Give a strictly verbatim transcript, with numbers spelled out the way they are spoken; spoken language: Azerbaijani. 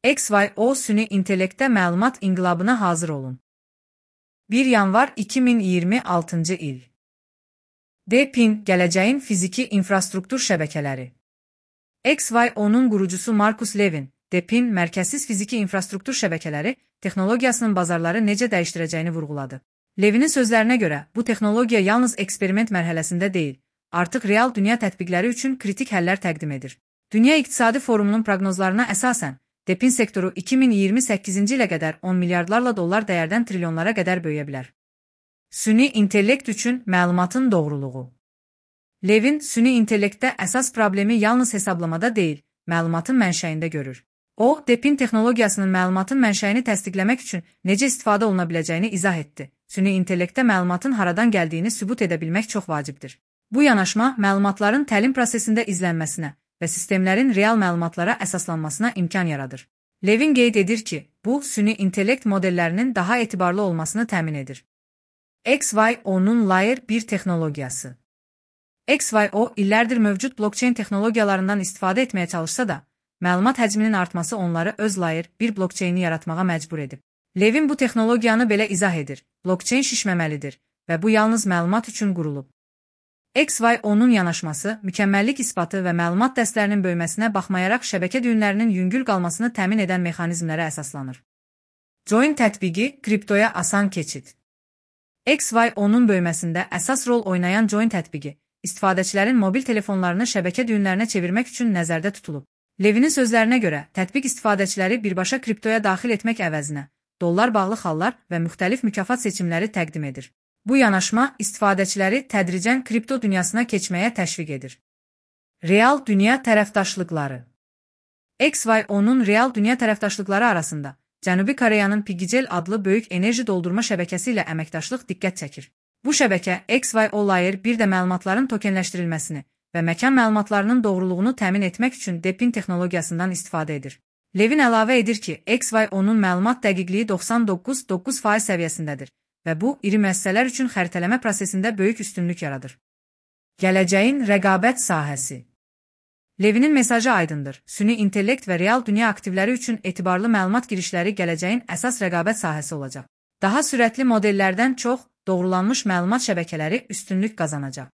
X Y O süni intellektdə məlumat inqilabına hazır olun. bir yanvar iki min iyirmi altıncı il. DeepIn, gələcəyin fiziki infrastruktur şəbəkələri. X Y O'nun qurucusu Marcus Levin, DeepIn, mərkəzsiz fiziki infrastruktur şəbəkələri texnologiyasının bazarları necə dəyişdirəcəyini vurğuladı. Levinin sözlərinə görə, bu texnologiya yalnız eksperiment mərhələsində deyil, artıq real dünya tətbiqləri üçün kritik həllər təqdim edir. Dünya İqtisadi Forumunun proqnozlarına əsasən, DeepIn sektoru iki min iyirmi səkkizinci ilə qədər on milyardlarla dollar dəyərdən trilyonlara qədər böyüyə bilər. Süni intellekt üçün məlumatın doğruluğu. Levin, süni intellektdə əsas problemi yalnız hesablamada deyil, məlumatın mənşəyində görür. O, DeepIn texnologiyasının məlumatın mənşəyini təsdiqləmək üçün necə istifadə oluna biləcəyini izah etdi. Süni intellektdə məlumatın haradan gəldiyini sübut edə bilmək çox vacibdir. Bu yanaşma, məlumatların təlim prosesində izlənməsinə və sistemlərin real məlumatlara əsaslanmasına imkan yaradır. Levin qeyd edir ki, bu, süni intellekt modellərinin daha etibarlı olmasını təmin edir. X Y O'nun Layer bir texnologiyası. X Y O illərdir mövcud blockchain texnologiyalarından istifadə etməyə çalışsa da, məlumat həcminin artması onları öz Layer bir blockchaini yaratmağa məcbur edib. Levin bu texnologiyanı belə izah edir. Blockchain şişməməlidir və bu yalnız məlumat üçün qurulub. X Y O'nun yanaşması, mükəmməllik isbatı və məlumat dəstlərinin böyüməsinə baxmayaraq şəbəkə düyünlərinin yüngül qalmasını təmin edən mexanizmlərə əsaslanır. Join tətbiqi, kriptoya asan keçid. X Y O'nun böyüməsində əsas rol oynayan Join tətbiqi, istifadəçilərin mobil telefonlarını şəbəkə düyünlərinə çevirmək üçün nəzərdə tutulub. Levinin sözlərinə görə, tətbiq istifadəçiləri birbaşa kriptoya daxil etmək əvəzinə, dollar bağlı xallar və müxtəlif mükafat seçimləri təqdim edir. Bu yanaşma istifadəçiləri tədricən kripto dünyasına keçməyə təşviq edir. Real dünya tərəfdaşlıqları. X Y O'nun real dünya tərəfdaşlıqları arasında Cənubi Koreyanın Piggycell adlı böyük enerji doldurma şəbəkəsi ilə əməkdaşlıq diqqət çəkir. Bu şəbəkə X Y O Layer bir də məlumatların tokenləşdirilməsini və məkan məlumatlarının doğruluğunu təmin etmək üçün DeepIn texnologiyasından istifadə edir. Levin əlavə edir ki, X Y O'nun məlumat dəqiqliyi doxsan doqquz nöqtə doqquz faiz səviyyəsindədir və bu, iri müəssisələr üçün xəritələmə prosesində böyük üstünlük yaradır. Gələcəyin rəqabət sahəsi. Levinin mesajı aydındır. Süni intellekt və real dünya aktivləri üçün etibarlı məlumat girişləri gələcəyin əsas rəqabət sahəsi olacaq. Daha sürətli modellərdən çox, doğrulanmış məlumat şəbəkələri üstünlük qazanacaq.